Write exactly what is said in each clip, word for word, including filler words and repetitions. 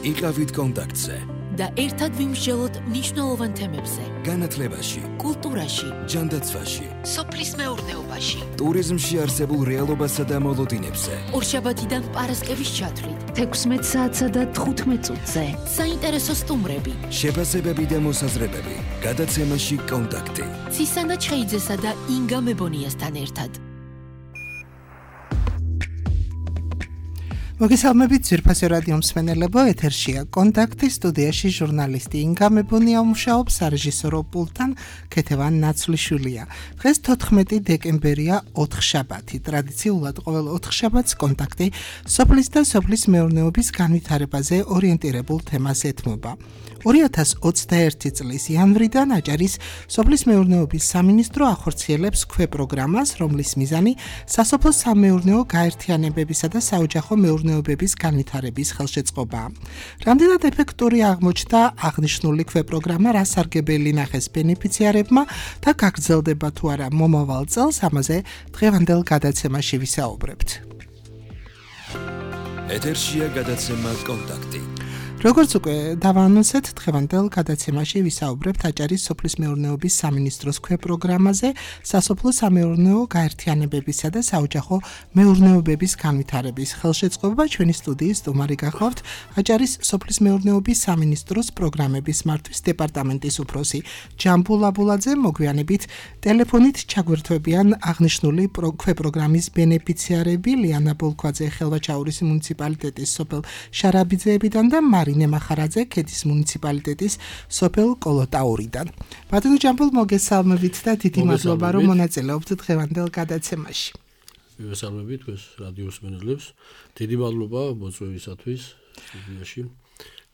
იყავით კონტაქტზე და ერთად ვიმსჯელოთ მნიშვნელოვან თემებზე. განათლებაში, კულტურაში, ჯანდაცვაში, სოფლის მეურნეობაში, ტურიზმში არსებულ რეალობასა და მოლოდინებზე. ორშაბათიდან პარასკევის ჩათვლით, თექვსმეტ საათსა და თხუთმეტ წუთზე. საინტერესო სტუმრები, შეფასებები და მოსაზრებები. გადაცემაში კონტაქტი. ცისანა ჩხეიძესა და ინგა მებონიასთან ერთად. მოგესალმებით ძვირფასი რადიო მსმენელებო, ეთერშია კონტაქტი, სტუდიაში ჟურნალისტი ინგა მებონია მუშაობს, სარეჟისორო პულტთან ქეთევან ნაცვლიშვილია. დღეს თოთხმეტი დეკემბერია, ოთხშაბათი. ტრადიციულად ყოველ ოთხშაბათს კონტაქტი სოფლის და სოფლის მეურნეობის განვითარებაზე ორიენტირებულ თემას ეთმობა. ორი ათას ოცდაერთი წლის იანვრიდან აჭარის სოფლის მეურნეობის სამინისტრო ახორციელებს ქვეპროგრამას, რომლის მიზანი სასოფლო სამეურნეო გაერთიანებებისა და საოჯახო მეურნეობების განვითარების ხელშეწყობაა. რამდენად ეფექტური აღმოჩნდა აღნიშნული ქვეპროგრამა, რა სარგებელი ნახეს ბენეფიციარებმა და გაგრძელდება თუ არა მომავალ წელს, ამაზე დღევანდელ გადაცემაში ვისაუბრებთ. ეთერშია გადაცემა კონტაქტი. როგორც უკვე დავაანონსეთ, დღევანდელ გადაცემაში ვისაუბრებთ აჭარის სოფლის მეურნეობის სამინისტროს ქვეპროგრამაზე, სასოფლო სამეურნეო გაერთიანებებისა და საოჯახო მეურნეობების განვითარების ხელშეწყობა. ჩვენი სტუდიის სტუმარი გახლავთ აჭარის სოფლის მეურნეობის სამინისტროს პროგრამების მართვის დეპარტამენტის უფროსი ჯამბულ აბულაძე. მოგვიანებით ტელეფონით ჩაგვერთვებიან აღნიშნული ქვეპროგრამის ბენეფიციარები ლიანა ბოლქვაძე ხელვაჩაურის მუნიციპალიტეტის სოფელ შარაბიძეებიდან და მარინე მახარაძე ქედის მუნიციპალიტეტის სოფელ კოლოტაურიდან. ბატონო ჯამბულ, მოგესალმებით და დიდი მადლობა, რომ მონაწილეობთ დღევანდელ გადაცემაში. მოგესალმებით თქვენს რადიო მსმენელებს. დიდი მადლობა მოწვევისათვის სტუდიაში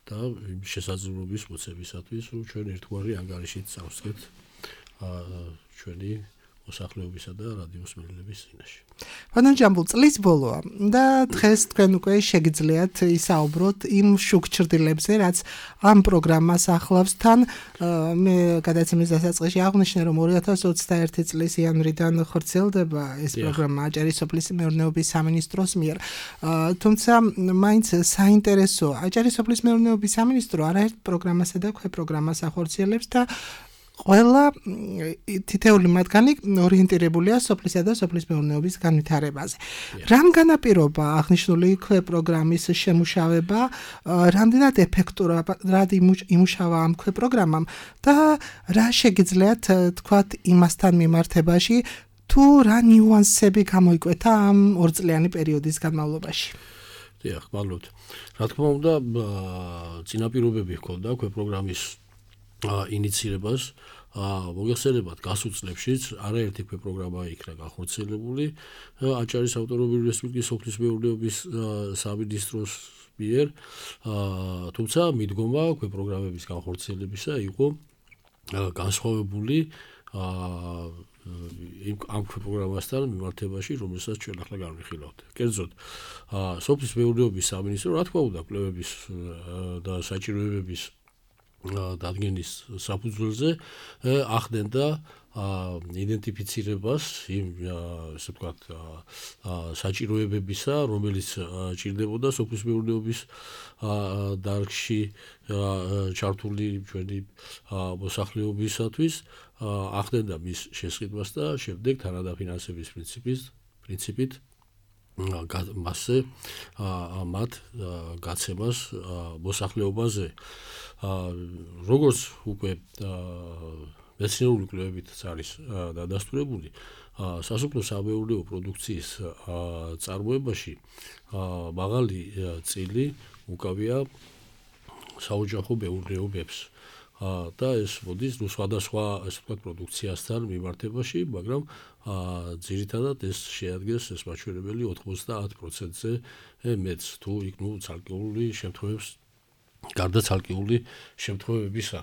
და შესაძლებლობის მოცემისათვის, რომ ჩვენ ერთგვარი ანგარიშით წავსდგეთ ჩვენი მოსახლეობისა და რადიო მსმენელების წინაშე. ბატონო ჯამბულ, წლის ბოლოა და დღეს თქვენ უკვე შეგიძლიათ ისაუბროთ იმ შუქ ჩრდილებზე, რაც ამ პროგრამას ახლავს. თან მე გადაცემის დასაწყისში აღვნიშნე, რომ ორი ათას ოცდაერთი წლის იანვრიდან ხორციელდება ეს პროგრამა აჭარის სოფლის მეურნეობის სამინისტროს მიერ. თუმცა მაინც საინტერესოა, აჭარის სოფლის მეურნეობის სამინისტრო არაერთ პროგრამასა და ქვეპროგრამას ახორციელებს და ყველა თითეული მათგანი ორიენტირებულია სოფლისა და სოფლის მეურნეობის განვითარებაზე. რამ განაპირობა აღნიშნული ქვეპროგრამის შემუშავება, რამდენად ეფექტურად იმუშავა ამ ქვეპროგრამამ და რა შეგიძლიათ თქვათ იმასთან მიმართებაში, თუ რა ნიუანსები გამოიკვეთა ამ ორწლიანი პერიოდის განმავლობაში? დიახ, მადლობთ. რა თქმა უნდა, წინაპირობები ჰქონდა ქვეპროგრამის ინიცირებას. მოგეხსენებათ, გასულ წლებშიც არაერთი ქვეპროგრამა იქნა გახორციელებული აჭარის ავტონომიური რესპუბლიკის სოფლის მეურნეობის სამინისტროს მიერ, თუმცა მიდგომა ქვეპროგრამების განხორციელებისა იყო განსხვავებული ამ ქვეპროგრამასთან მიმართებაში, რომელსაც ჩვენ ახლა განვიხილავთ. კერძოდ, სოფლის მეურნეობის სამინისტრო, რა თქმა უნდა, კვლევების და საჭიროებების დადგენის საფუძველზე ახდენდა იდენტიფიცირებას იმ ასე ვთქვათ საჭიროებებისა, რომელიც ჭირდებოდა სოფლის მეურნეობის დარგში ჩართული ჩვენი მოსახლეობისათვის, ახდენდა მის შესყიდვას და შემდეგ თანადაფინანსების პრინციპის პრინციპით მასზე მათ გაცემას მოსახლეობაზე. როგორც უკვე მეცნიერული კვლევებიც არის დადასტურებული, სასოფლო სამეურნეო პროდუქციის წარმოებაში მაღალი წილი უკავია საოჯახო მეურნეობებს და ეს მოდის სხვადასხვა ასე ვთქვათ პროდუქციასთან მიმართებაში, მაგრამ ძირითადად ეს შეადგენს ეს მაჩვენებელი ოთხმოცდაათ პროცენტზე მეტს, თუ იქ ნუ ცალკეული შემთხვევებს გარდა ცალკეული შემთხვევებისა.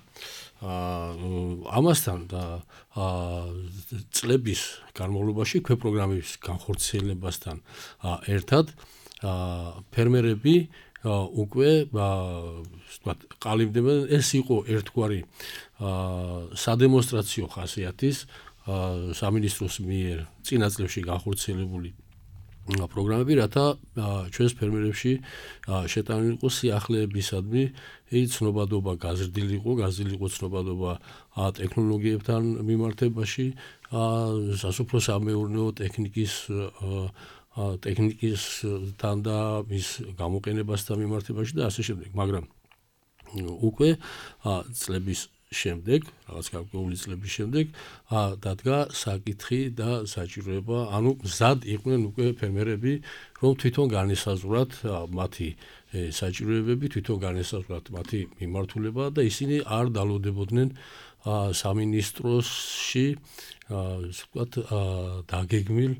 ამასთან წლების განმავლობაში ქვეპროგრამის განხორციელებასთან ერთად ფერმერები უკვე ვთქვათ ყალიბდებიან. ეს იყო ერთგვარი სადემონსტრაციო ხასიათის სამინისტროს მიერ წინა წლებში განხორციელებული პროგრამები, რათა ჩვენს ფერმერებში შეტანილი იყოს სიახლეებისადმი, ცნობადობა გაზრდილიყო, გაზრდილიყო ცნობადობა ტექნოლოგიებთან მიმართებაში, სასოფლო-სამეურნეო ტექნიკის ტექნიკისთან და მის გამოყენებასთან მიმართებაში და ასე შემდეგ, მაგრამ უკვე წლების შემდეგ, რაღაც გარკვეული წლების შემდეგ დადგა საკითხი და საჭიროება, ანუ მზად იყვნენ უკვე ფერმერები, რომ თვითონ განესაზღვრათ მათი საჭიროებები, თვითონ განესაზღვრათ მათი მიმართულება და ისინი არ დალოდებოდნენ სამინისტროში, ასე ვთქვათ, დაგეგმილ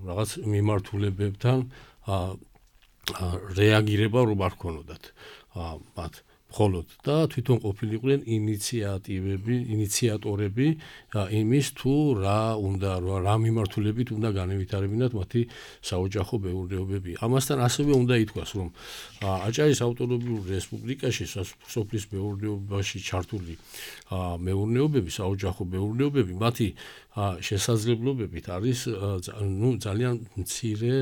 რაღაც მიმართულებებთან რეაგირება რომ არ ქონოდათ მათ მხოლოდ და თვითონ ყოფილიყვნენ ინიციატივები, ინიციატორები იმის თუ რა უნდა რა მიმართულებით უნდა განევითარებინათ მათი საოჯახო მეურნეობები. ამასთან ასევე უნდა ითქვას, რომ აჭარის ავტონომიურ რესპუბლიკაში სოფლის მეურნეობაში ჩართული მეურნეობები, საოჯახო მეურნეობები, მათი შესაძლებლობებით არის ნუ ძალიან მცირე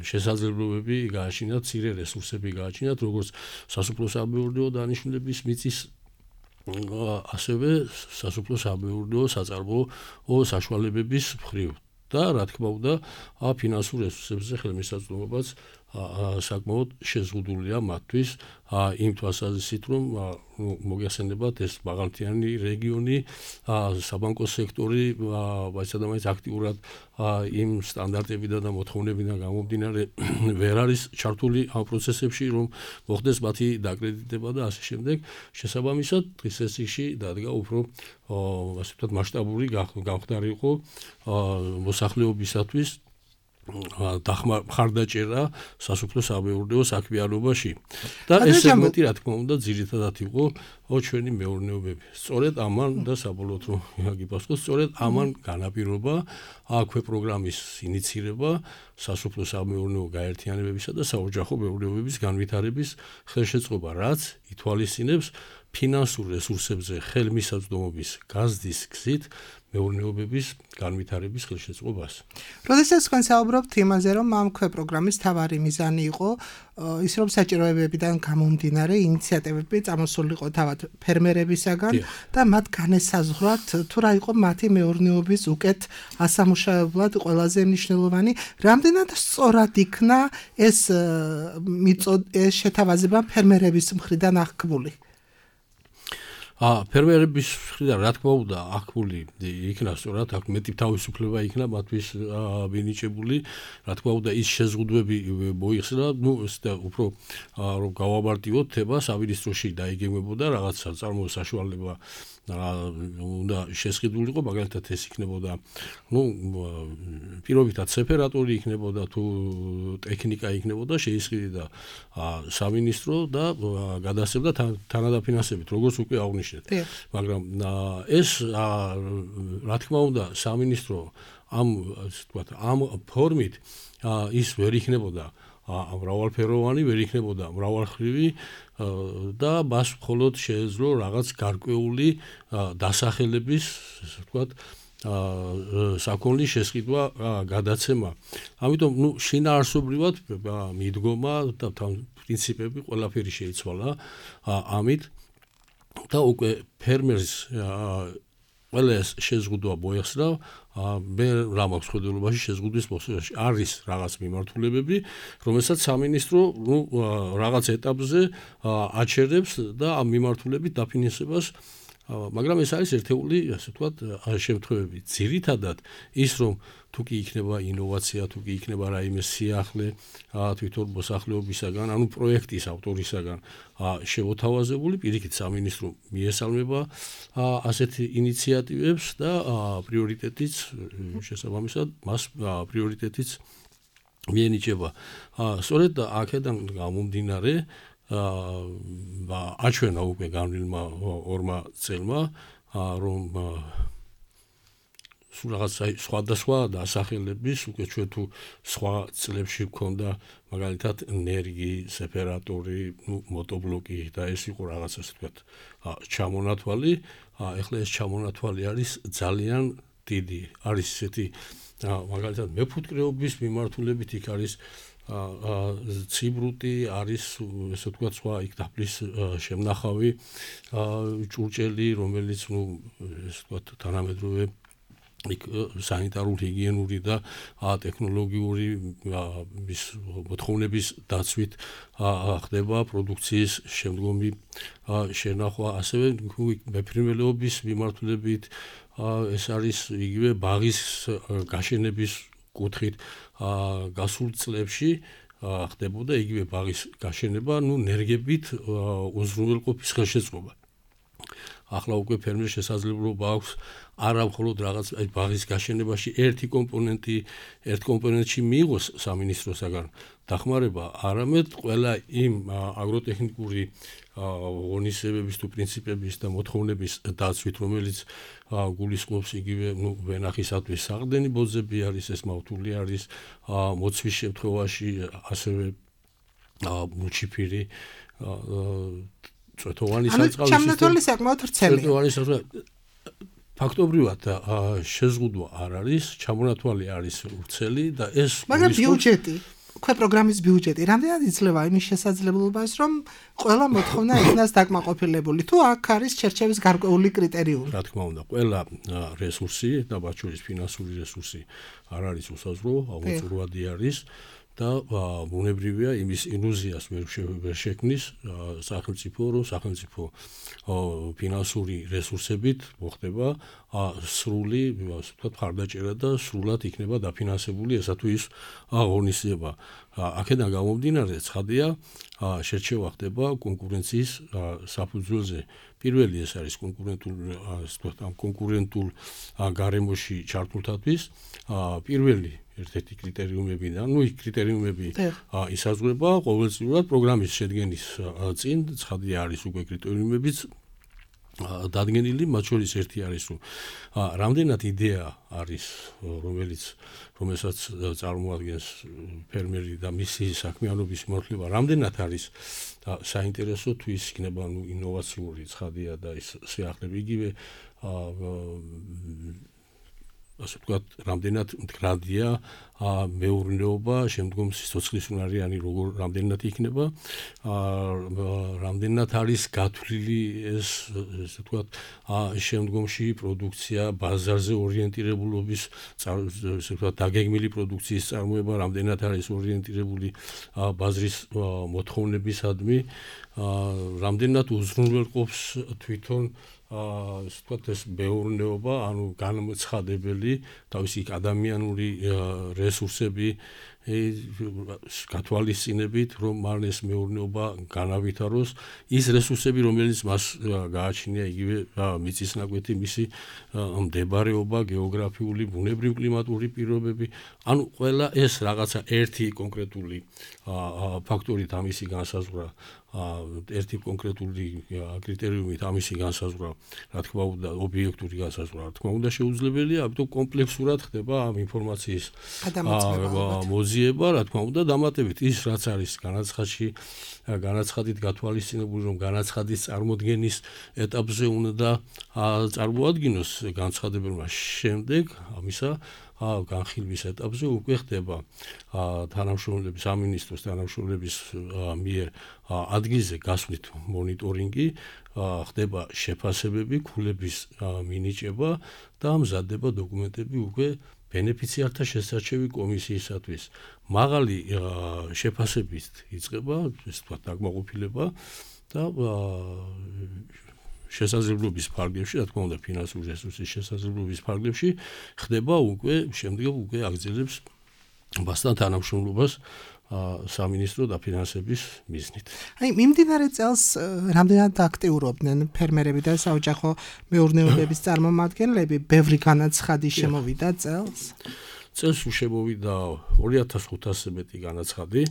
შესაძლებლობები გააჩინათ, მცირე რესურსები გააჩინათ, როგორც სასოფლო-სამეურნეო დანიშნულების მიწის ასევე სასოფლო-სამეურნეო საწარმოო საშუალებების მხრივ და რა თქმა უნდა ფინანსურ რესურსებზე ხელმისაწვდომობაც საკმაოდ შეზღუდულია მათთვის იმ თვალსაზრისით, რომ მოგეხსენებათ ეს მაღალმთიანი რეგიონი, საბანკო სექტორი ვაიცადამაინც აქტიურად იმ სტანდარტებიდან და მოთხოვნებიდან გამომდინარე ვერ არის ჩართული ამ პროცესებში, რომ მოხდეს მათი დაკრედიტება და ასე შემდეგ. შესაბამისად, დღის წესრიგში დადგა უფრო ასე ვთქვათ მასშტაბური გამხდარიყო მოსახლეობისათვის მხარდაჭერა სასოფლო-სამეურნეო საქმიანობაში და ეს სეგმენტი რა თქმა უნდა ძირითადად იყო ჩვენი მეურნეობები. სწორედ ამან და საბოლოოდ რომ გიპასუხოთ, სწორედ ამან განაპირობა აქვე პროგრამის ინიცირება სასოფლო-სამეურნეო გაერთიანებებისა და საოჯახო მეურნეობების განვითარების ხელშეწყობა, რაც ითვალისწინებს ფინანსურ რესურსებზე ხელმისაწვდომობის გაზრდის გზით მეურნეობების განვითარების ხელშეწყობას. როდესაც თქვენ საუბრობთ იმაზე, რომ ამ ქვე პროგრამის მთავარი მიზანი იყო ის, რომ საჭიროებებიდან გამომდინარე ინიციატივები წამოსულიყო თავად ფერმერებისაგან და მათ განესაზღვრათ თუ რა იყო მათი მეურნეობის უკეთ ასამუშავებლად ყველაზე მნიშვნელოვანი, რამდენად სწორად იქნა ეს შეთავაზება ფერმერების მხრიდან აღქმული. ფერმერების მხრიდან რა თქმა უნდა აღქმული იქნა სწორად, აქ მეტი თავისუფლება იქნა მათთვის მინიჭებული, რა თქმა უნდა ის შეზღუდვები მოიხსნა, ნუ ეს და უფრო რომ გავამარტივოთ, თება სამინისტროში დაიგეგმებოდა რაღაც საწარმოო საშუალება უნდა შესყიდულიყო, მაგალითად ეს იქნებოდა, ნუ პირობითად სეპარატორი იქნებოდა თუ ტექნიკა იქნებოდა შეისყიდდა სამინისტრო და გადასცემდა თანადაფინანსებით, როგორც უკვე აღნიშნეთ. მაგრამ ეს რა თქმა უნდა სამინისტრო ამ ვთქვათ ამ ფორმით ის ვერ იქნებოდა მრავალფეროვანი, ვერ იქნებოდა მრავალხრივი და მას მხოლოდ შეეძლო რაღაც გარკვეული დასახელების, ასე ვთქვათ, საკონლის შესყიდვა, გადაცემა. ამიტომ, ნუ შინაარსობრივად მიდგომა და პრინციპები ყველაფერი შეიცვალა ამით და უკვე ფერმერს ყველა ეს შეზღუდვა მოეხსნა, მე რა მაქვს ხედულობაში შეზღუდვის მოსულობაში არის რაღაც მიმართულებები, რომელსაც სამინისტრო ნუ რაღაც ეტაპზე აჩერებს და ამ მიმართულებით დაფინანსებას, მაგრამ ეს არის ერთეული, ასე ვთქვათ, შემთხვევები. ძირითადად ის, რომ თუ კი იქნება ინოვაცია, თუ კი იქნება რაიმე სიახლე თვითონ მოსახლეობისაგან, ანუ პროექტის ავტორისაგან შევოთავაზებული, პირიქით სამინისტრო მიესალმება ასეთ ინიციატივებს და პრიორიტეტიც შესაბამისად მას პრიორიტეტიც მიენიჭება. სწორედ აქედან გამომდინარე აჩვენა უკვე განვლილმა ორმა წელმა, რომ სულ რაღაც სხვადასხვა დასახელების უკვე ჩვენ თუ სხვა წლებში გქონდა მაგალითად ენერგი, სეპარატორი, ნუ მოტობლოკი და ეს იყო რაღაც ასე ვთქვათ ჩამონათვალი, ეხლა ეს ჩამონათვალი არის ძალიან დიდი არის ესეთი მაგალითად მეფუტკრეობის მიმართულებით იქ არის ციბრუტი არის ესე ვთქვათ სხვა იქ დაფლის შემნახავი ჭურჭელი რომელიც ნუ ესე ვთქვათ თანამედროვე იქ სანიტარული ჰიგიენური და ტექნოლოგიური მის მოთხოვნების დაცვით ხდება პროდუქციის შემდგომი შენახვა ასევე მეფრინველეობის მიმართულებით ეს არის იგივე ბაღის გაშენების კუთხით გასულ წლებში ხდებოდა იგივე ბაღის გაშენება ნუ ნერგებით უზრუნველყოფის ხელშეწყობა ახლა უკვე ფერმერს შესაძლებლობა აქვს არა მხოლოდ რაღაც აი ბაღის გაშენებაში ერთი კომპონენტი ერთ კომპონენტში მიიღოს სამინისტროსაგან დახმარება, არამედ ყველა იმ აგროტექნიკური ღონისძიებების თუ პრინციპების და მოთხოვნების დაცვით, რომელიც გულისხმობს იგივე ნუ ვენახისათვის საყრდენი ბოძები არის, ეს მავთული არის, მოცვის შემთხვევაში ასევე მუჩიფირი წვეთოვანი საწყავი ჩამნათვალი საკმაოდ ვრცელია. წვეთოვანი საწყავი ფაქტობრივად შეზღუდვა არ არის, ჩამონათვალი არის ვრცელი და ეს მაგრამ ბიუჯეტი, უკვე პროგრამის ბიუჯეტი, რამდენად იძლევა იმის შესაძლებლობას, რომ ყველა მოთხოვნა იქნას დაკმაყოფილებული, თუ აქ არის ჩერჩევის გარკვეული კრიტერიუმი. რა თქმა უნდა, ყველა რესურსი და მათ შორის ფინანსური რესურსი არ არის უსაზღვრო, აუცილებლად არის. და ბუნებრივია იმის ილუზიას ვერ შექმნის სახელმწიფო რომ სახელმწიფო ფინანსური რესურსებით მოხდება სრული ვთქვათ მხარდაჭერა და სრულად იქნება დაფინანსებული ესა თუ ის აღონისება აქედან გამომდინარე ცხადია შერჩევა ხდება კონკურენციის საფუძველზე პირველი ეს არის კონკურენტულ ვთქვათ ამ კონკურენტულ გარემოში ჩართულთათვის პირველი ერთ-ერთი კრიტერიუმებიდან, ну, იქ კრიტერიუმები ისაზღვრება ყოველწლიურად პროგრამის შედგენის წინ, ცხადია არის უკვე კრიტერიუმებიც დადგენილი, მათ შორის ერთი არის, რომ რამდენად იდეა არის, რომელიც რომელსაც წარმოადგენს ფერმერი და მისი საქმიანობის მიმართულება, რამდენად არის საინტერესო თუ ის იქნება, ну, ინოვაციური, ცხადია და ის სიახლეები იგივე ასე ვთქვათ, რამდენად მდგრადია მეურნეობა, შემდგომ სიცოცხლის უნარიანი როგორ რამდენად იქნება, რამდენად არის გათვლილი ეს, ასე ვთქვათ, შემდგომში პროდუქცია, ბაზარზე ორიენტირებულობის, ასე ვთქვათ, დაგეგმილი პროდუქციის წარმოება, რამდენად არის ორიენტირებული ბაზრის მოთხოვნებისადმი, რამდენად უზრუნველყოფს თვითონ ასე ვთქვათ ეს მეურნეობა, ანუ განმცხადებელი თავისი ადამიანური რესურსები გათვალისწინებით, რომ მან ეს მეურნეობა განავითაროს, ის რესურსები, რომელიც მას გააჩნია იგივე მიწისნაკვეთი, მისი მდებარეობა, გეოგრაფიული, ბუნებრივ-კლიმატური პირობები, ანუ ყველა ეს რაღაცა ერთი კონკრეტული ფაქტორით ამისი განსაზღვრა ერთი კონკრეტული კრიტერიუმით ამისი განსაზღვრა, რა თქმა უნდა, ობიექტური განსაზღვრა, რა თქმა უნდა, შეუძლებელია, ამიტომ კომპლექსურად ხდება ამ ინფორმაციის მოძიება, რა თქმა უნდა, დამატებით ის, რაც არის განაცხადში, განაცხადით გათვალისწინებული, რომ განაცხადის წარმოდგენის ეტაპზე უნდა წარმოადგინოს განცხადებულმა შემდეგ ამისა განხილვის ეტაპზე უკვე ხდება თანამშრომლების სამინისტროს თანამშრომლების მიერ ადგილზე გასვლით მონიტორინგი, ხდება შეფასებები, ქულების მინიჭება და მზადდება დოკუმენტები უკვე ბენეფიციართა შესარჩევი კომისიისათვის. მაღალი შეფასებით იწყება, ესე ვთქვათ, დაკმაყოფილება და შესაძლებლობის ფარგლებში, რა თქმა უნდა, ფინანსური რესურსის შესაძლებლობის ფარგლებში ხდება უკვე შემდგომ უკვე აგრძელებს მასთან თანამშრომლობას სამინისტრო დაფინანსების მიზნით. აი, მიმდინარე წელს რამდენად აქტიურობდნენ ფერმერები და საოჯახო მეურნეობების წარმომადგენლები, ბევრი განაცხადი შემოვიდა წელს? წელს შემოვიდა ორი ათას ხუთასზე მეტი განაცხადი.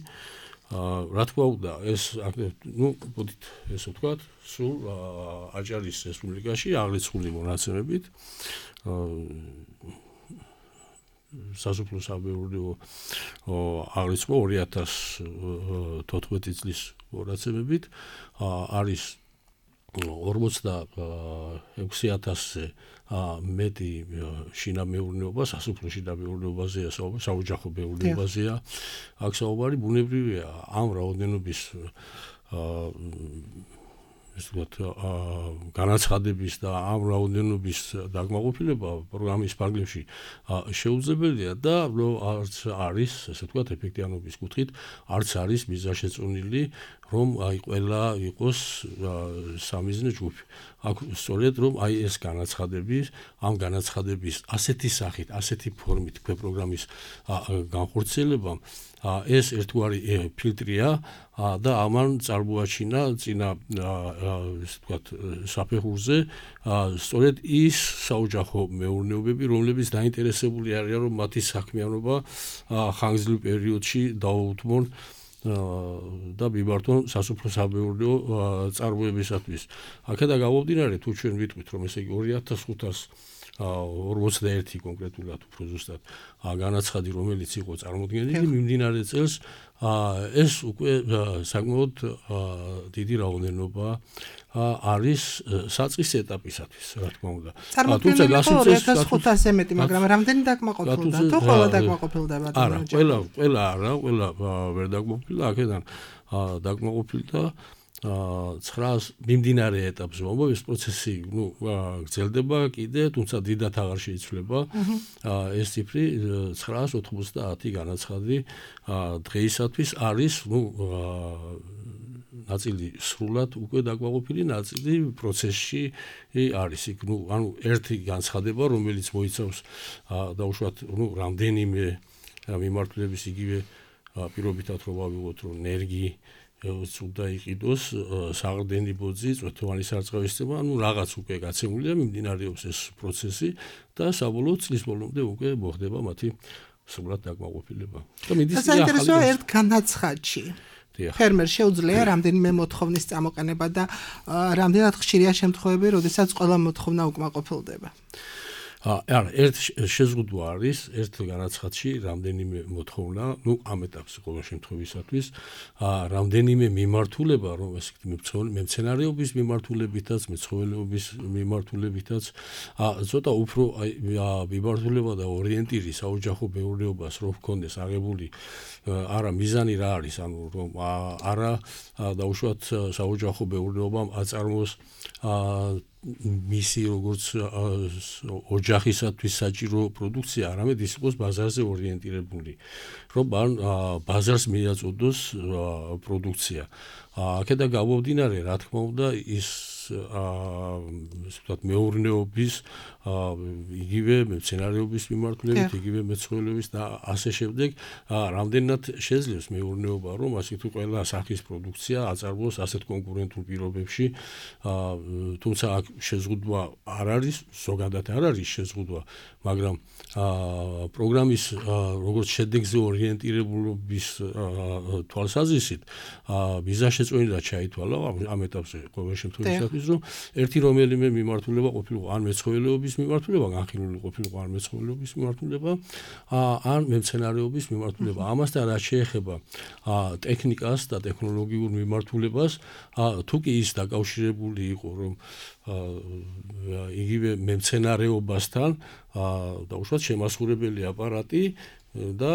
რა თქმა უნდა, ეს ნუ მოდით ესე ვთქვათ, სულ აჭარის რესპუბლიკაში აღრიცხული მონაცემებით სასოფლო-სამეურნეო აღრიცხვა ორი ათას თოთხმეტი წლის მონაცემებით არის ორმოცდაექვსი ათასზე მეტი შინამეურნეობა, სასოფლო შინამეურნეობაზეა საუბარი, საოჯახო მეურნეობაზეა. აქ საუბარი ბუნებრივია ამ რაოდენობის ეს ვთქვათ, განაცხადების და ამ რაოდენობის დაკმაყოფილება პროგრამის ფარგლებში შეუძლებელია და არც არის, ესე ვთქვათ, ეფექტიანობის კუთხით, არც არის მიზანშეწონილი, რომ აი ყველა იყოს სამიზნე ჯგუფი. აქ სწორედ რომ აი ეს განაცხადების, ამ განაცხადების ასეთი სახით, ასეთი ფორმით თქვენ პროგრამის განხორციელებამ ეს ერთგვარი ფილტრია და ამან წარმოაჩინა წინა ესე ვთქვათ საფეხურზე სწორედ ის საოჯახო მეურნეობები, რომლებიც დაინტერესებული არიან, რომ მათი საქმიანობა ხანგრძლივ პერიოდში დაუუთმონ და მიმართონ სასოფლო-სამეურნეო წარმოებისათვის. აქედან გამომდინარე, თუ ჩვენ ვიტყვით, რომ ესე იგი ორი ათას ხუთას ორმოცდაერთი კონკრეტულად უფრო ზუსტად განაცხადი, რომელიც იყო წარმოდგენილი მიმდინარე წელს, ეს უკვე საკმაოდ დიდი რაოდენობა არის საწყის ეტაპისათვის, რა თქმა უნდა. თუმცა ორი ათას ხუთასზე მეტი, მაგრამ რამდენი დაკმაყოფილდა? თუ ყველა დაკმაყოფილდება? არა, ყველა, ყველა არა, ყველა ვერ დაკმაყოფილდა, აქედან დაკმაყოფილდა ცხრაას მიმდინარე ეტაპზე, მაგრამ ეს პროცესი, ნუ, გრძელდება კიდე, თუმცა დიდად აღარ შეიცვლება. ეს ციფრი ცხრაას ოთხმოცდაათი განაცხადი დღეისათვის არის, ნუ, ნაწილი სრულად უკვე დაკმაყოფილი, ნაწილი პროცესში არის. იქ, ნუ, ანუ ერთი განცხადება, რომელიც მოიცავს დაუშვათ, ნუ, რამდენიმე მიმართულების იგივე პირობითად რომ ავიღოთ, რომ ენერგი უნდა იყიდოს საყრდენი ბოძი, წვეთოვანი სარწყავის ცემა, ანუ რაღაც უკვე გაცემულია, მიმდინარეობს ეს პროცესი და საბოლოოდ წლის ბოლომდე უკვე მოხდება მათი სრულად დაკმაყოფილება. და მიდის საინტერესოა ერთ განაცხადში. ფერმერს შეუძლია რამდენიმე მოთხოვნის წამოყენება და რამდენად ხშირია შემთხვევები, როდესაც ყველა მოთხოვნა უკმაყოფილდება. არა, ერთ შეზღუდვა არის, ერთ განაცხადში რამდენიმე მოთხოვნა, ნუ ამ ეტაპზე ყოველ შემთხვევისათვის, რამდენიმე მიმართულება, რომ ესე ვთქვით, მემცენარეობის მიმართულებითაც, მეცხოველეობის მიმართულებითაც, ცოტა უფრო მიმართულება და ორიენტირი საოჯახო მეურნეობას რო ჰქონდეს აღებული, არა მიზანი რა არის, ანუ რომ არა დაუშვათ საოჯახო მეურნეობამ აწარმოოს მისი როგორც ოჯახისათვის საჭირო პროდუქცია, არამედ ის იყოს ბაზარზე ორიენტირებული, რომ ბაზარს მიაწოდოს პროდუქცია. აქედან გამომდინარე, რა თქმა უნდა, ის ვთქვათ, მეურნეობის, იგივე მცენარეობის მიმართულებით, იგივე მეცხოველეობის და ასე შემდეგ, რამდენად შეძლებს მეურნეობა, რომ ასე თუ ყველა სახის პროდუქცია აწარმოოს ასეთ კონკურენტულ პირობებში, თუმცა აქ შეზღუდვა არ არის, ზოგადად არ არის შეზღუდვა, მაგრამ პროგრამის როგორც შედეგზე ორიენტირებულობის თვალსაზრისით მიზანშეწონილად ჩაითვალა ამ ეტაპზე ყოველ შემთხვევაში, რომ ერთი რომელიმე მიმართულება ყოფილიყო ან მეცხოველეობის მიმართულება, განხილული ყოფილიყო ან მეცხოველეობის მიმართულება, ან მემცენარეობის მიმართულება. ამასთან რაც შეეხება ტექნიკას და ტექნოლოგიურ მიმართულებას, თუ კი ის დაკავშირებული იყო, რომ იგივე მემცენარეობასთან დაუშვათ შემასხურებელი აპარატი და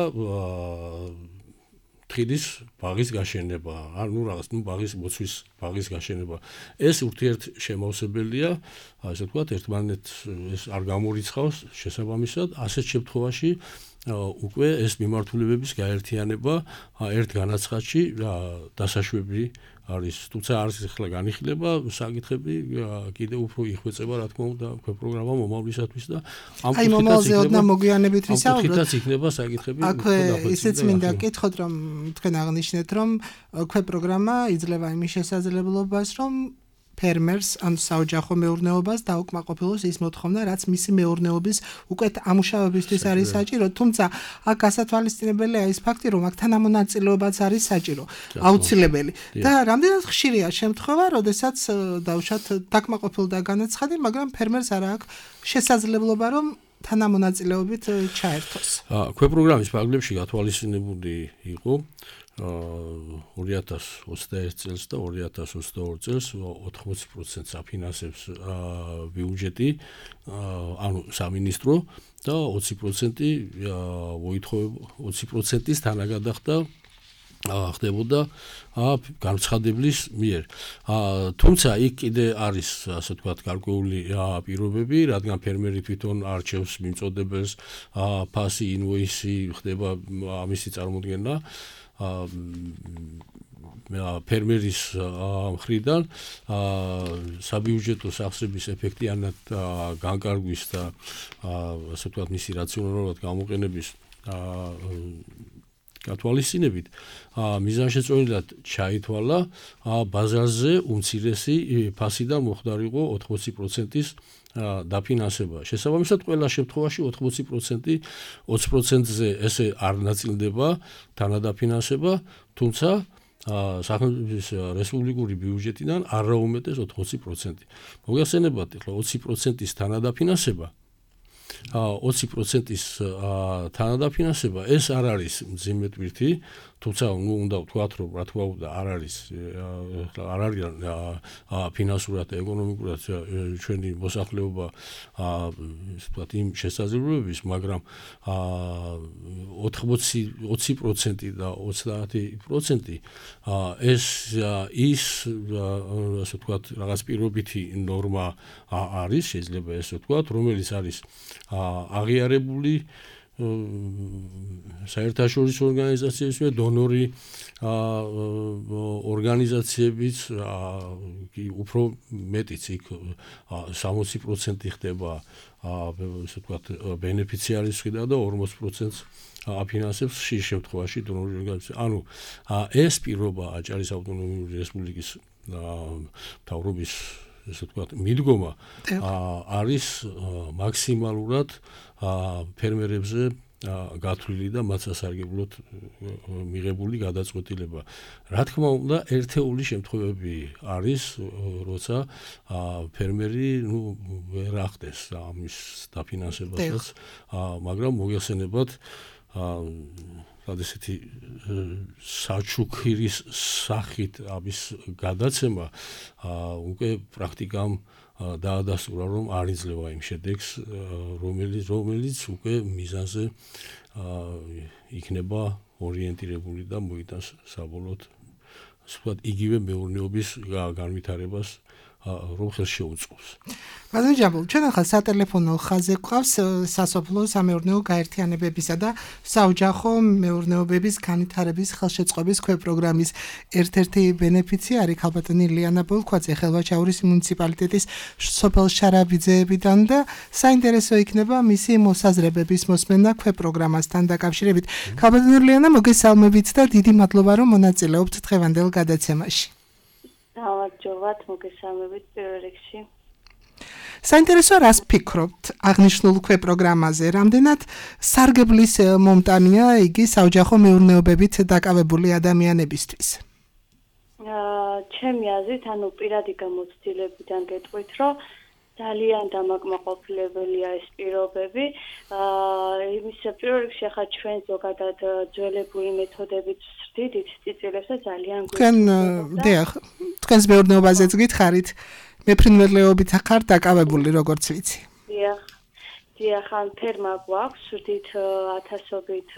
თხილის ბაღის გაშენება, ანუ რაღაც, ნუ ბაღის მოცვის ბაღის გაშენება. ეს ურთიერთ შემავსებელია, ასე ვთქვათ, ერთმანეთს ეს არ გამორიცხავს შესაბამისად, ასეთ შემთხვევაში უკვე ეს მიმართულებების გაერთიანება ერთ განაცხადში დასაშვები არის, თუმცა არის ახლა განიხილება საკითხები, კიდე უფრო იხვეწება, რა თქმა უნდა, პროგრამა მომავლისათვის და ამ აი მომავალზე ოდნა მოგვიანებით ვისაუბროთ. ამ იქნება საკითხები. აქვე ისეც მინდა გითხოთ, რომ თქვენ აღნიშნეთ, რომ ქვე პროგრამა იძლევა იმის შესაძლებლობას, რომ ფერმერს ან საოჯახო მეურნეობას დაუკმაყოფილოს ის მოთხოვნა, რაც მისი მეურნეობის უკეთ ამუშავებისთვის არის საჭირო, თუმცა აქ გასათვალისწინებელია ის ფაქტი, რომ აქ თანამონაწილეობაც არის საჭირო, აუცილებელი. და რამდენად ხშირია შემთხვევა, როდესაც დავუშვათ დაკმაყოფილდა განაცხადი, მაგრამ ფერმერს არ აქვს შესაძლებლობა, რომ თანამონაწილეობით ჩაერთოს. ქვე პროგრამის ფარგლებში გათვალისწინებული იყო, ორი ათას ოცდაერთ წელს და ორი ათას ოცდაორი წელს ოთხმოცი პროცენტს აფინანსებს ბიუჯეტი, ანუ სამინისტრო და ოცი პროცენტი მოითხოვება ოცი პროცენტის თანაგადახდა ხდებოდა განცხადებლის მიერ. თუმცა იქ კიდე არის ასე ვთქვათ გარკვეული პირობები, რადგან ფერმერი თვითონ არჩევს მიმწოდებელს, ფასი, ინვოისი ხდება ამისი წარმოდგენა ფერმერის მხრიდან საბიუჯეტო სახსრების ეფექტიანად განკარგვის და ასე ვთქვათ მისი რაციონალურად გამოყენების გათვალისწინებით მიზანშეწონილად ჩაითვალა ბაზარზე უმცირესი ფასიდან მოხდარიყო ოთხმოცი პროცენტის დაფინანსება. შესაბამისად ყველა შემთხვევაში ოთხმოცი პროცენტი ოცი პროცენტზე ესე არ ნაწილდება თანადაფინანსება, თუმცა სახელმწიფოს რესპუბლიკური ბიუჯეტიდან არაუმეტეს ოთხმოცი პროცენტი. მოგეხსენებათ, ახლა ოცი პროცენტის თანადაფინანსება ოცი პროცენტის თანადაფინანსება ეს არ არის მძიმე ტვირთი, თუმცა ნუ უნდა ვთქვათ, რომ რა თქმა უნდა არ არის არ არის ფინანსურად და ეკონომიკურად ჩვენი მოსახლეობა ვთქვათ იმ შესაძლებლობების, მაგრამ ოთხმოცი ოცი პროცენტი და ოცდაათი პროცენტი ეს ის ასე ვთქვათ რაღაც პირობითი ნორმა არის, შეიძლება ესე ვთქვათ, რომელიც არის აღიარებული საერთაშორისო ორგანიზაციების მიერ, დონორი ორგანიზაციებიც უფრო მეტიც იქ სამოცი პროცენტი ხდება ასე ვთქვათ ბენეფიციარის მხრიდან და ორმოცი პროცენტს აფინანსებს ხშირ შემთხვევაში დონორი ორგანიზაცია. ანუ ეს პირობა აჭარის ავტონომიური რესპუბლიკის მთავრობის ესე ვთქვათ მიდგომა არის მაქსიმალურად ფერმერებზე გათვლილი და მათ სასარგებლოდ მიღებული გადაწყვეტილება. რა თქმა უნდა, ერთეული შემთხვევები არის, როცა ფერმერი ნუ ვერ ახდენს ამის დაფინანსებასაც, მაგრამ მოგეხსენებათ ესეთი საჩუქირის სახით ამის გადაცემა უკვე პრაქტიკამ დაადასტურა, რომ არ იძლევა იმ შედეგს, რომელიც რომელიც უკვე მიზანზე იქნება ორიენტირებული და მოიტანს საბოლოოდ ვთქვათ იგივე მეურნეობის განვითარებას რომ ხელს შეუწყობს. ბატონო ჯამბულ, ჩვენ ახლა სატელეფონო ხაზზე გვყავს სასოფლო სამეურნეო გაერთიანებებისა და საოჯახო მეურნეობების განვითარების ხელშეწყობის ქვეპროგრამის ერთ-ერთი ბენეფიციარი ქალბატონი ლიანა ბოლქვაძე ხელვაჩაურის მუნიციპალიტეტის სოფელ შარაბიძეებიდან და საინტერესო იქნება მისი მოსაზრებების მოსმენა ქვეპროგრამასთან დაკავშირებით. ქალბატონი ლიანა, მოგესალმებით და დიდი მადლობა, რომ მონაწილეობთ დღევანდელ გადაცემაში. გამარჯობათ, მოგესალმებით პირველ რიგში. საინტერესო რას ფიქრობთ აღნიშნულ ქვეპროგრამაზე? რამდენად სარგებლის მომტანია იგი საოჯახო მეურნეობებით დაკავებული ადამიანებისთვის? ჩემი აზრით, ანუ პირადი გამოცდილებიდან გეტყვით, რომ ძალიან დამაკმაყოფილებელია ეს პირობები. იმის პირველ რიგში ახლა ჩვენ ზოგადად ძველებული მეთოდებით ვსწრდით წიწილებს და ძალიან თქვენ დიახ, თქვენს მეურნეობაზეც გითხარით, მეფრინველეობით ხარ დაკავებული, როგორც ვიცი. დიახ, დიახ, ან ფერმა გვაქვს, ვსწრდით ათასობით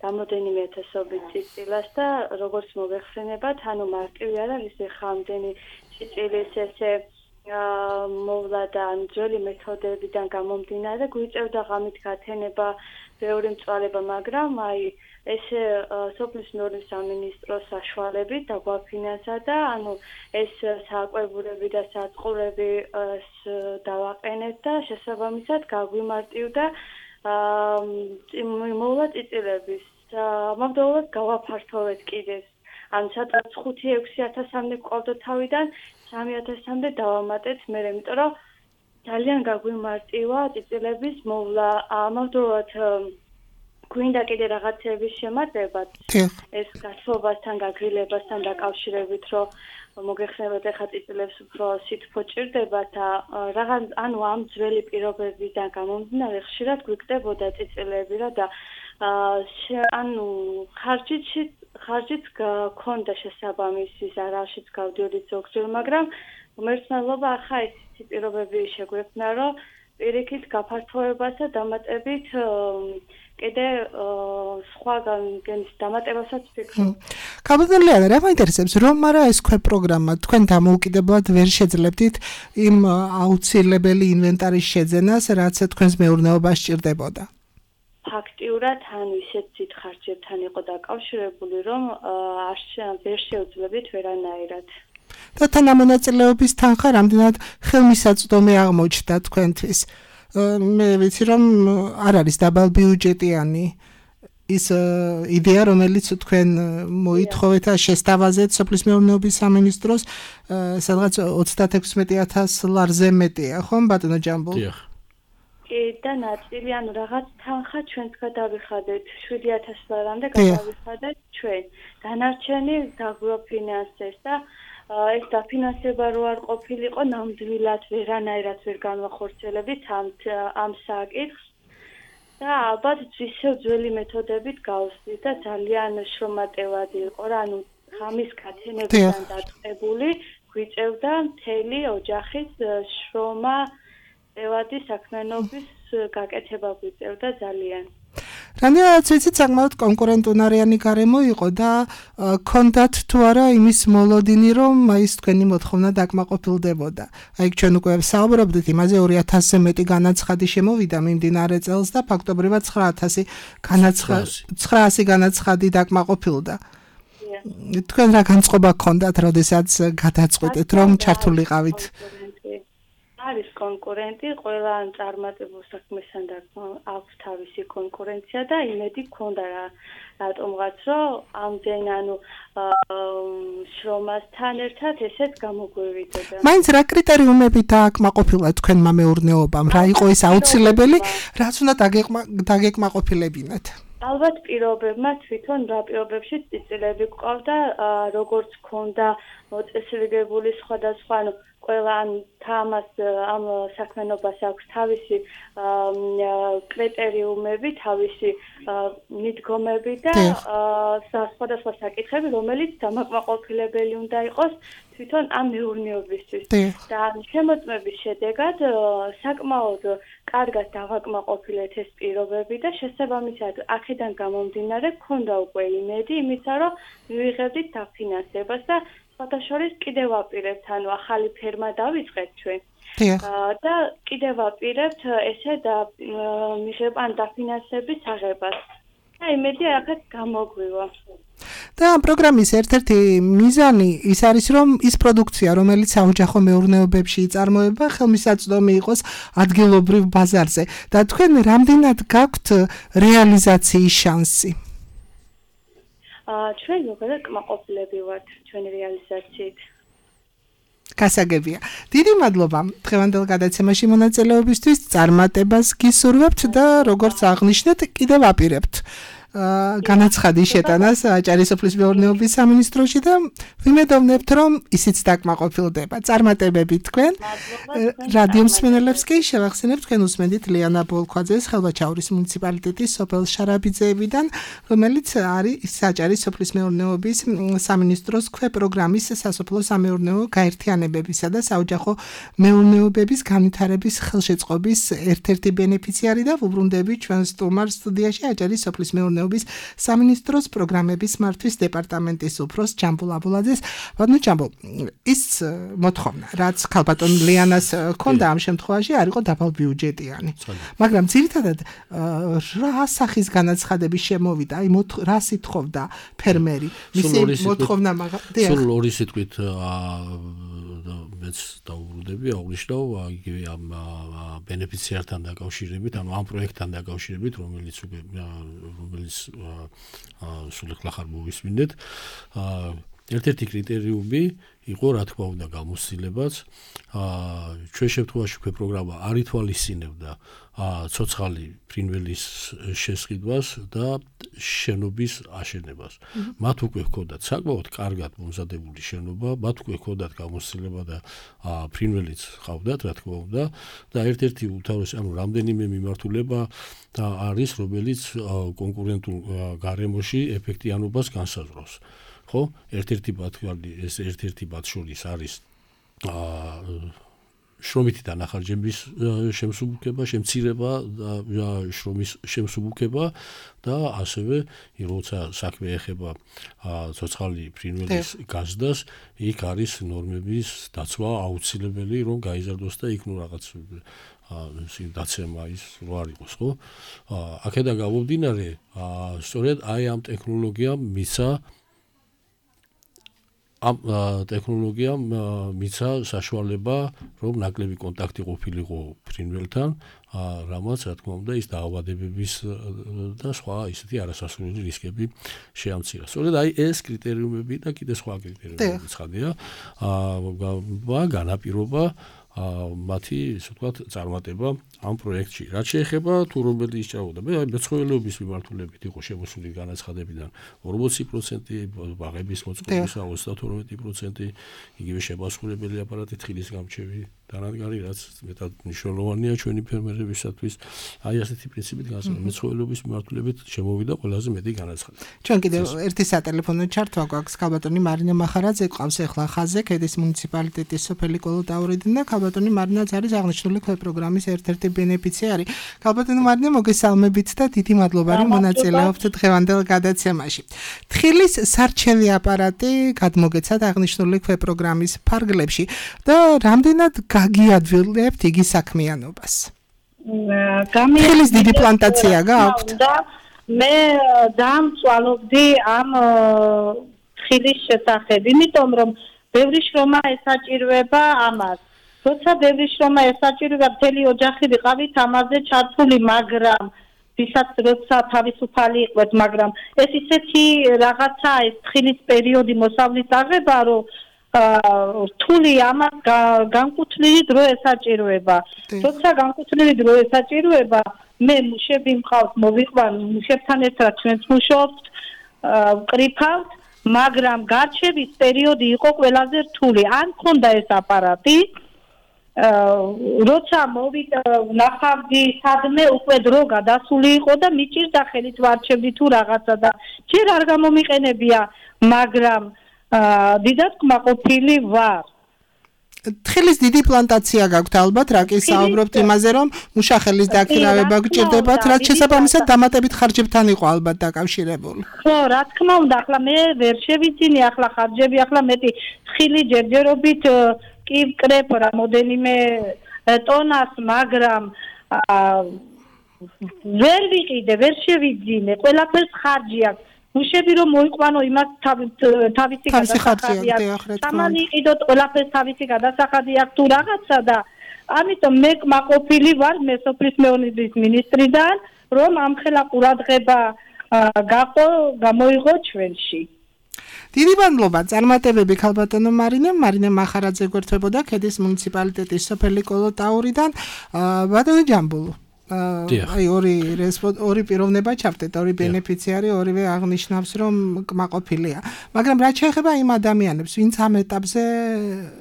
რამოდენიმე ათასობით წიწილას და როგორც მოგეხსენებათ, ანუ მარტივი არ არის ხა ამდენი წიწილის ესე მოვლა და ძველი მეთოდებიდან გამომდინარე გვიწევდა ღამით გათენება ბევრი მწვალება, მაგრამ აი ესე სოფლის მეურნეობის სამინისტროს საშუალებით დაგვაფინანსა და ანუ ეს საკვებურები და საწყურები დავაყენეთ და შესაბამისად გაგვიმარტივდა მოვლა წიწილების. ამავდროულად გავაფართოვეთ კიდევ, ანუ სადღაც ხუთი ექვსი ათასამდე გვყავდა თავიდან, სამი ათასამდე დავამატეთ მე, იმიტომ რომ ძალიან გაგვიმარტივა წიწილების მოვლა. ამავდროულად გვინდა კიდე რაღაცების შემატებაც ეს გაცხოვასთან, გაგრილებასთან დაკავშირებით, რომ მოგეხსენებათ ახლა წიწილებს უფრო სითბო ჭირდება და რაღაც ანუ ამ ძველი პირობებიდან გამომდინარე ხშირად გვიკდებოდა წიწილები რა და ანუ ხარჯით ხარჯით გქონდა შესაბამისი ზარალშიც გავდიოდი ზოგჯერ, მაგრამ უმეცნელობა ახლა ისეთი პირობები შეგვექნა, რომ პირიქით გაფართოებას და დამატებით კიდე სხვაგან გენის დამატებასაც ვფიქრობ. კაბადელიანა, რა მაინტერესებს, რომ არა ეს ქვე პროგრამა თქვენ დამოუკიდებლად ვერ შეძლებდით იმ აუცილებელი ინვენტარის შეძენას, რაც თქვენს მეურნეობას სჭირდებოდა? ფაქტიურად ანუ ისეთ დიდ ხარჯებთან იყო დაკავშირებული, რომ არ ვერ შევძლებდით ვერანაირად. და თანამონაწილეობის თანხა რამდენად ხელმისაწვდომი აღმოჩნდა თქვენთვის? მე ვიცი რომ არ არის დაბალბიუჯეტიანი ის იდეა, რომელიც თქვენ მოითხოვეთ და შესთავაზეთ სოფლის მეურნეობის სამინისტროს, სადღაც ოცდაექვსმეტი ათას ლარზე მეტია, ხომ ბატონო ჯამბულ? დიახ. და ნაწილი ანუ რაღაც თანხა ჩვენც გადავიხადეთ შვიდი ათას ლარამდე გადავიხადეთ ჩვენ. დანარჩენი დაგვაფინანსეს და ეს დაფინანსება რო არ ყოფილიყო, ნამდვილად ვერანაირად ვერ განვახორციელებდით ამ ამ საკითხს და ალბათ ისევ ძველი მეთოდებით გავსვით და ძალიან შრომატევადი იყო რა, ანუ ღამის გათენებიდან დაწყებული გვიწევდა მთელი ოჯახის შრომა, ევადი საქმიანობის გაკეთება გვიწევდა ძალიან. რამდენადაც ვიცით, საკმაოდ კონკურენტუნარიანი გარემო იყო და ქონდათ თუ არა იმის მოლოდინი, რომ ის თქვენი მოთხოვნა დაკმაყოფილდებოდა. აი ჩვენ უკვე საუბრობდით იმაზე, ორი ათასზე მეტი განაცხადი შემოვიდა მიმდინარე წელს და ფაქტობრივად ცხრა ათასი განაცხადი ცხრა ათასი განაცხადი დაკმაყოფილდა. თქვენ რა განწყობა გქონდათ, როდესაც გადაწყვეტეთ, რომ ჩართულიყავით? არის კონკურენტი, ყველა წარმატებულ საქმესთან აქვს თავისი კონკურენცია და იმედი გქონდა რა რატომღაც რომ ამდენ ანუ შრომასთან ერთად ესეც გამოგვივიდება. მაინც რა კრიტერიუმები დააკმაყოფილა თქვენმა მეურნეობამ? რა იყო ეს აუცილებელი, რაც უნდა დაგეკმაყოფილებინათ? ალბათ პირობებმა თვითონ რა პირობებში წიწილები გვყავდა, როგორც გქონდა მოწესრიგებული სხვადასხვა ანუ ყველა თამას ამ საქმიანობას აქვს თავისი კრიტერიუმები, თავისი მიდგომები და სხვადასხვა საკითხები, რომელიც დამაკმაყოფილებელი უნდა იყოს თვითონ ამ მეურნეობისთვის. და შემოწმების შედეგად საკმაოდ კარგად დავაკმაყოფილეთ ეს პირობები და შესაბამისად აქედან გამომდინარე გქონდა უკვე იმედი იმისა, რომ მივიღებდით დაფინანსებას და შორის კიდევ ვაპირებთ, ანუ ახალი ფერმა დავიწყეთ ჩვენ. და კიდევ ვაპირებთ ესე და მიღებ ან დაფინანსების აღებას. და იმედი აქეთ გამოგვივა. და ამ პროგრამის ერთ-ერთი მიზანი ის არის, რომ ის პროდუქცია, რომელიც საოჯახო მეურნეობებში იწარმოება, ხელმისაწვდომი იყოს ადგილობრივ ბაზარზე. და თქვენ რამდენად გაქვთ რეალიზაციის შანსი? ჩვენ ზოგადად კმაყოფილები ვართ ჩვენი რეალიზაციით. გასაგებია. დიდი მადლობა დღევანდელ გადაცემაში მონაწილეობისთვის, წარმატებას გისურვებთ და როგორც აღნიშნეთ, კიდევ აპირებთ განაცხადის შეტანას აჭარის სოფლის მეურნეობის სამინისტროში და ვიმედოვნებთ, რომ ისიც დაკმაყოფილდება. წარმატებები თქვენ. რადიო მსმენელებს კი შევახსენებთ, თქვენ უსმენთ ლიანა ბოლქვაძეს ხელვაჩაურის მუნიციპალიტეტის სოფელ შარაბიძეებიდან, რომელიც არის აჭარის სოფლის მეურნეობის სამინისტროს ქვე პროგრამის სასოფლო სამეურნეო გაერთიანებებისა და საოჯახო მეურნეობების განვითარების ხელშეწყობის ერთ-ერთი ბენეფიციარი და ვუბრუნდები ჩვენ სტუმარ სტუდიაში აჭარის სოფლის მეურნეობის სამინისტროს პროგრამების მართვის დეპარტამენტის უფროს ჯამბულ აბულაძეს. ბატონო ჯამბულ, ის მოთხოვნა, რაც ქალბატონ ლიანას ჰქონდა ამ შემთხვევაში, არ იყო დაბალბიუჯეტიანი. მაგრამ ძირითადად რა სახის განაცხადები შემოვიდა, აი რას ითხოვდა ფერმერი? მისი მოთხოვნა მაგალითად სულ ორი სიტყვით მეც დავუბრუნდები, აღნიშნავ იგივე ამ ბენეფიციართან დაკავშირებით, ანუ ამ პროექტთან დაკავშირებით, რომელიც რომელიც სულ ახლა ხარ მოვისმინეთ. ერთ-ერთი კრიტერიუმი იყო რა თქმა უნდა გამოცდილებაც. აა ჩვენ შემთხვევაში უკვე პროგრამა არ ითვალისწინებდა ცოცხალი ფრინველის შესყიდვას და შენობის აშენებას. მათ უკვე ჰქონდათ საკმაოდ კარგად მომზადებული შენობა, მათ უკვე ჰქონდათ გამოცდილება და ფრინველიც ჰყავდათ, რა თქმა უნდა, და ერთ-ერთი უთავრესი, ანუ რამდენიმე მიმართულება და არის, რომელიც კონკურენტულ გარემოში ეფექტიანობას განსაზღვრავს. ხო, ერთ-ერთი ბათქალი, ეს ერთ-ერთი მათ შორის არის აა შრომითი დანახარჯების შემსუბუქება, შემცირება და შრომის შემსუბუქება და ასევე როცა საქმე ეხება ცოცხალი ფრინველის გაზდას, იქ არის ნორმების დაცვა აუცილებელი, რომ გაიზარდოს და იქ ნუ რაღაც დაცემა ის რო არ იყოს, ხო? აქედან გამომდინარე, სწორედ აი ამ ტექნოლოგიამ მიცა ამ ტექნოლოგიამ მიცა საშუალება, რომ ნაკლები კონტაქტი ყოფილიყო ფრინველთან, რამაც რა თქმა უნდა ის დაავადებების და სხვა ისეთი არასასურველი რისკები შეამცირა. სწორედ აი ეს კრიტერიუმები და კიდე სხვა კრიტერიუმები ცხადია, აა განაპირობა მათი, ისე ვთქვათ, წარმატება ამ პროექტში. რაც შეეხება თუ რომელი ისწავლოდა, მე აი მეცხოველეობის მიმართულებით იყო შემოსული განაცხადებიდან ორმოცი პროცენტი, ბაღების მოწყობისა ოცდათორმეტი პროცენტი, იგივე შეპასუხებელი აპარატი თხილის გამრჩევი დანადგარი, რაც მეტად მნიშვნელოვანია ჩვენი ფერმერებისათვის. აი ასეთი პრინციპით განსაზღვრა მეცხოველეობის მიმართულებით შემოვიდა ყველაზე მეტი განაცხადება. ჩვენ კიდევ ერთი სატელეფონო ჩართვა გვაქვს. ქალბატონი მარინა მახარაძე ყავს ახლა ხაზზე, ქედის მუნიციპალიტეტის სოფელი კოლოტაურიდან და ქალბატონი მარინაც არის აღნიშნული პროგრამის ერთ-ერთი ბენეფიციარი. ქალბატონი მარინა, მოგესალმებით და დიდი მადლობა, რომ მონაწილეობთ დღევანდელ გადაცემაში. თხილის სარჩელი აპარატი გადმოგეცათ აღნიშნული პროგრამის ფარგლებში და რამდენად გაგიადვილებთ იგი საქმიანობას? თხილის დიდი პლანტაცია გაქვთ? მე დამწვალობდი ამ თხილის შესახებ, იმიტომ რომ ბევრი შრომა ესაჭიროება ამას. როცა ბევრი შრომა ესაჭიროება, მთელი ოჯახი ვიყავით ამაზე ჩართული, მაგრამ ვისაც როცა თავისუფალი იყვეთ, მაგრამ ეს ისეთი რაღაცა, ეს თხილის პერიოდი მოსავლის აღება, რომ რთული ამას განკუთვნილი დრო ესაჭიროება. როცა განკუთვნილი დრო ესაჭიროება, მე მუშები მყავს, მოვიყვან მუშებთან ერთად ჩვენც მუშაობთ, ვკრიფავთ, მაგრამ გარჩევის პერიოდი იყო ყველაზე რთული. ან მქონდა ეს აპარატი, როცა მოვიდა ნახავდი სადმე უკვე დრო გადასული იყო და მიჭირდა ხელით ვარჩევდი თუ რაღაცა და ჯერ არ გამომიყენებია, მაგრამ დიდად კმაყოფილი ვარ. თხილის დიდი პლანტაცია გაქვთ ალბათ, რა კი საუბრობთ იმაზე, რომ მუშახელის დაქირავება გჭირდებათ, რაც შესაბამისად დამატებით ხარჯებთან იყო ალბათ დაკავშირებული. ხო, რა თქმა უნდა, ახლა მე ვერ შევიძინე ახლა ხარჯები, ახლა მეტი თხილი ჯერჯერობით კი ვკრებ რამოდენიმე ტონას, მაგრამ ვერ ვიყიდე, ვერ შევიძინე, ყველაფერს ხარჯი აქვს. მუშები რომ მოიყვანო იმას თავისი გადასახადი აქვს. ამან იყიდოთ ყველაფერს თავისი გადასახადი აქვს თუ რაღაცა და ამიტომ მე კმაყოფილი ვარ მე სოფლის მეურნეობის მინისტრიდან, რომ ამხელა ყურადღება გაყო, გამოიღო ჩვენში. დიდი მადლობა. წარმატებები ქალბატონო მარინემ. მარინა მახარაძე გვერდებოდა ქედის მუნიციპალიტეტის სოფელი კოლოტაურიდან. ბატონო ჯამბულო, აი ორი ორი პიროვნება ჩავდეთ, ორი ბენეფიციარი, ორივე აღნიშნავს, რომ კმაყოფილია. მაგრამ რაც შეეხება იმ ადამიანებს, ვინც ამ ეტაპზე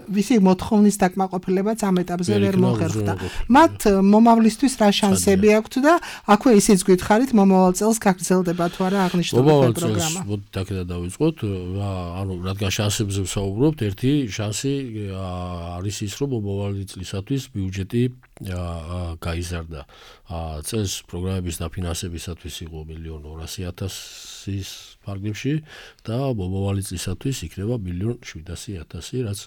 ვისი მოთხოვნის დაკმაყოფილებაც ამ ეტაპზე ვერ მოხერხდა, მათ მომავლისთვის რა შანსები აქვთ და აქვე ისიც გითხარით, მომავალ წელს გაგრძელდება თუ არა აღნიშნული პროგრამა? მომავალ წელს დაკედა დავიწყოთ, ანუ რადგან შანსებზე ვსაუბრობთ, ერთი შანსი არის ის, რომ მომავალი წლისათვის ბიუჯეტი გაიზარდა. წელს პროგრამების დაფინანსებისათვის იყო მილიონ ორასი ათასის ფარგლებში და მომავალი წლისათვის იქნება მილიონ შვიდასი ათასი, რაც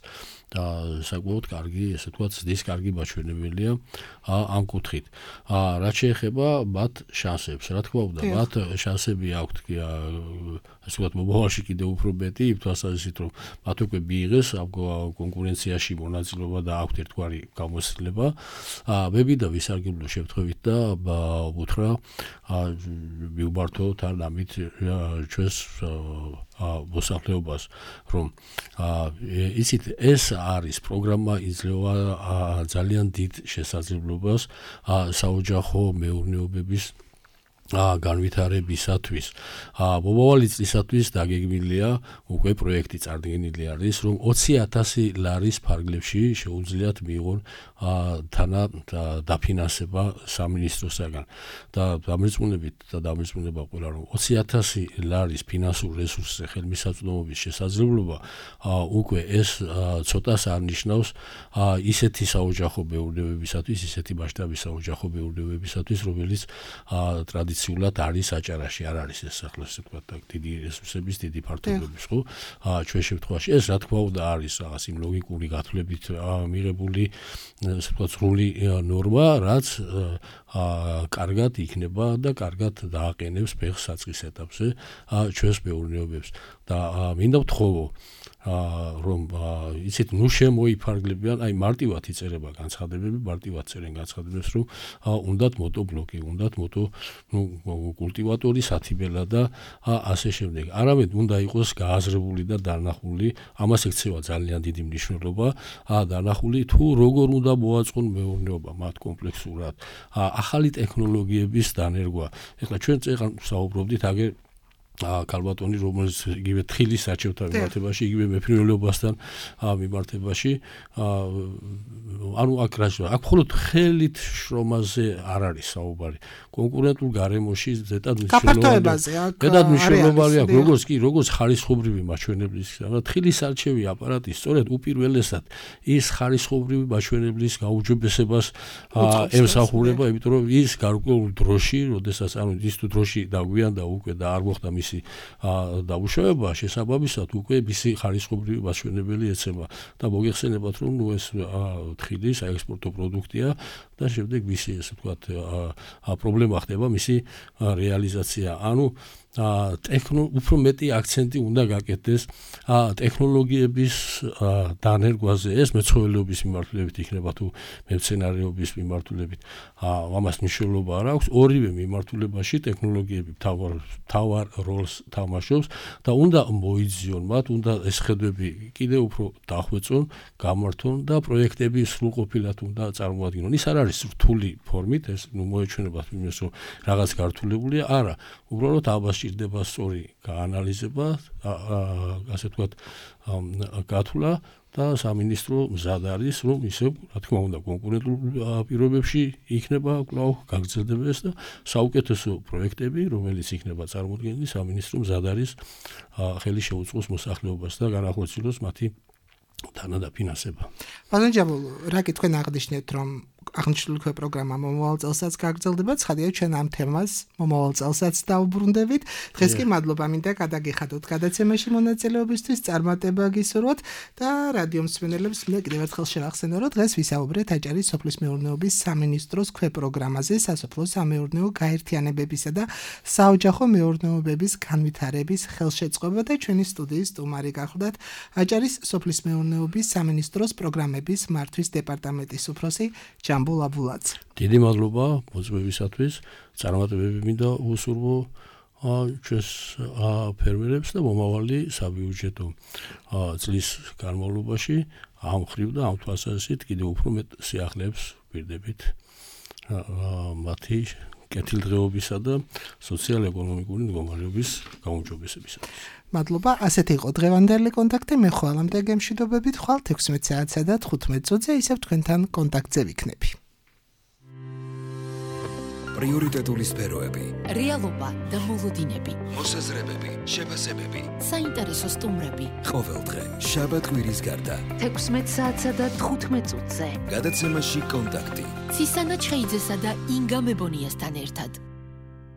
საკმაოდ კარგი, ესე ვთქვათ, ზრდის კარგი მაჩვენებელია ამ კუთხით. რაც შეეხება მათ შანსებს, რა თქმა უნდა, მათ შანსები აქვთ, ასე ვთქვათ, მომავალში კიდევ უფრო მეტი, იმ თვალსაზრისით, რომ მათ უკვე მიიღეს ამ კონკურენციაში მონაწილეობა და აქვთ ერთგვარი გამოცდილება. მე მინდა ვისარგებლო შემთხვევით და უთხრა მივმართოთ არ ამით ჩვენ ჩვენს მოსახლეობას, რომ იცით, ეს არის პროგრამა იძლევა ძალიან დიდ შესაძლებლობას საოჯახო მეურნეობების განვითარებისათვის. მომავალი წლისათვის დაგეგმილია უკვე პროექტი წარდგენილი არის, რომ ოცი ათასი ლარის ფარგლებში შეუძლიათ მიიღონ თანა დაფინანსება სამინისტროსაგან. და დამრეწმუნებით და დამრეწმუნება ყველა, რომ ოცი ათასი ლარის ფინანსურ რესურსზე ხელმისაწვდომობის შესაძლებლობა უკვე ეს ცოტას არ ნიშნავს ისეთი საოჯახო მეურნეობებისათვის, ისეთი მასშტაბის საოჯახო მეურნეობებისათვის, რომელიც ტრადიციულად არის აჭარაში, არ არის ეს ახლა ასე ვთქვათ, დიდი რესურსების, დიდი ფართობების, ხო? ჩვენ შემთხვევაში ეს რა თქმა უნდა არის რაღაც იმ ლოგიკური გათვლებით მიღებული, ასე ვთქვათ, სრული ნორმა, რაც კარგად იქნება და კარგად დააყენებს ფეხს საწყის ეტაპზე ჩვენს მეურნეობებს. და მინდა ვთხოვო, რომ იცით, ნუ შემოიფარგლებიან, აი მარტივად იწერება განცხადებები, მარტივად წერენ განცხადებებს, რომ უნდათ მოტობლოკი, უნდათ მოტო კულტივატორი, სათიბელა და ასე შემდეგ. არამედ უნდა იყოს გააზრებული და დანახული, ამას ექცევა ძალიან დიდი მნიშვნელობა, დანახული თუ როგორ უნდა მოაწყონ მეურნეობა მათ კომპლექსურად, ახალი ტექნოლოგიების დანერგვა. ეხლა ჩვენ წეგან საუბრობდით აგერ ქალბატონი, რომელიც იგივე თხილის საჩევთან მიმართებაში, იგივე მეფრინველობასთან მიმართებაში, ანუ აქ რა შეიძლება, აქ მხოლოდ ხელით შრომაზე არ არის საუბარი. კონკურენტულ გარემოში ზედად მნიშვნელოვანია. ზედად მნიშვნელოვანია, როგორც კი, როგორც ხარისხობრივი მაჩვენებლის, თხილის არჩევი აპარატი სწორედ უპირველესად ის ხარისხობრივი მაჩვენებლის გაუჯობესებას ემსახურება, იმიტომ რომ ის გარკვეულ დროში, როდესაც ანუ ის თუ დროში დაგვიანდა უკვე და არ მოხდა მისი დაუშავება, შესაბამისად უკვე მისი ხარისხობრივი მაჩვენებელი ეცემა და მოგეხსენებათ, რომ ნუ ეს თხილი საექსპორტო პროდუქტია და შემდეგ მისი ესე ვთქვათ პრობლემა ხდება მისი რეალიზაცია. ანუ ტექნო უფრო მეტი აქცენტი უნდა გაკეთდეს ტექნოლოგიების დანერგვაზე, ეს მეცხოველეობის მიმართულებით იქნება თუ მემცენარეობის მიმართულებით. ამას მნიშვნელობა არ აქვს, ორივე მიმართულებაში ტექნოლოგიები თავარ თავარ როლს თამაშობს და უნდა მოიძიონ მათ, უნდა ეს ხედვები კიდევ უფრო დახვეწონ, გამართონ და პროექტები სრულყოფილად უნდა წარმოადგინონ. ის არ არის რთული ფორმით, ეს ნუ მოეჩვენებათ იმას, რომ რაღაც გართულებულია, არა, უბრალოდ ამას ჭირდება სწორი გაანალიზება, ასე ვთქვათ, გათვლა და სამინისტრო მზად არის, რომ ისევ, რა თქმა უნდა, კონკურენტულ პირობებში იქნება კვლავ გაგრძელდება ეს და საუკეთესო პროექტები, რომელიც იქნება წარმოდგენილი, სამინისტრო მზად არის ხელი შეუწყოს მოსახლეობას და განახორციელოს მათი თანადაფინანსება. ბატონო ჯაბულ, რა კი თქვენ აღნიშნეთ, რომ აღნიშნული ქვე პროგრამა მომავალ წელსაც გაგრძელდება, ცხადია ჩვენ ამ თემას მომავალ წელსაც დავუბრუნდებით. დღეს კი მადლობა მინდა გადაგიხადოთ გადაცემაში მონაწილეობისთვის, წარმატება გისურვოთ და რადიო მსმენელებს მე კიდევ ერთხელ შევახსენო, რომ დღეს ვისაუბრეთ აჭარის სოფლის მეურნეობის სამინისტროს ქვე პროგრამაზე, სასოფლო სამეურნეო გაერთიანებებისა და საოჯახო მეურნეობების განვითარების ხელშეწყობა და ჩვენი სტუდიის სტუმარი გახლდათ აჭარის სოფლის მეურნეობის სამინისტროს პროგრამების მართვის დეპარტამენტის უფროსი ჯამბულ აბულაძე. დიდი მადლობა მოწვევისათვის, წარმატებები მინდა უსურვო ჩვენს ფერმერებს და მომავალი საბიუჯეტო წლის განმავლობაში ამ ხრივ და ამ თვალსაზრისით კიდევ უფრო მეტ სიახლეებს ვირდებით მათი კეთილდღეობისა და სოციალ-ეკონომიკური მდგომარეობის გაუმჯობესებისათვის. მადლობა, ასეთი იყო დღევანდელი კონტაქტი, მე ხვალამდე გემშვიდობებით, ხვალ თექვსმეტ საათსა და თხუთმეტ წუთზე ისევ თქვენთან კონტაქტზე ვიქნები. პრიორიტეტული სფეროები, რეალობა და მოლოდინები, მოსაზრებები, შეფასებები, საინტერესო სტუმრები. ყოველდღე, შაბათ-კვირის გარდა, თექვსმეტ საათსა და თხუთმეტ წუთზე. გადაცემაში კონტაქტი. ცისანა ჩხეიძესა და ინგა მებონიასთან ერთად.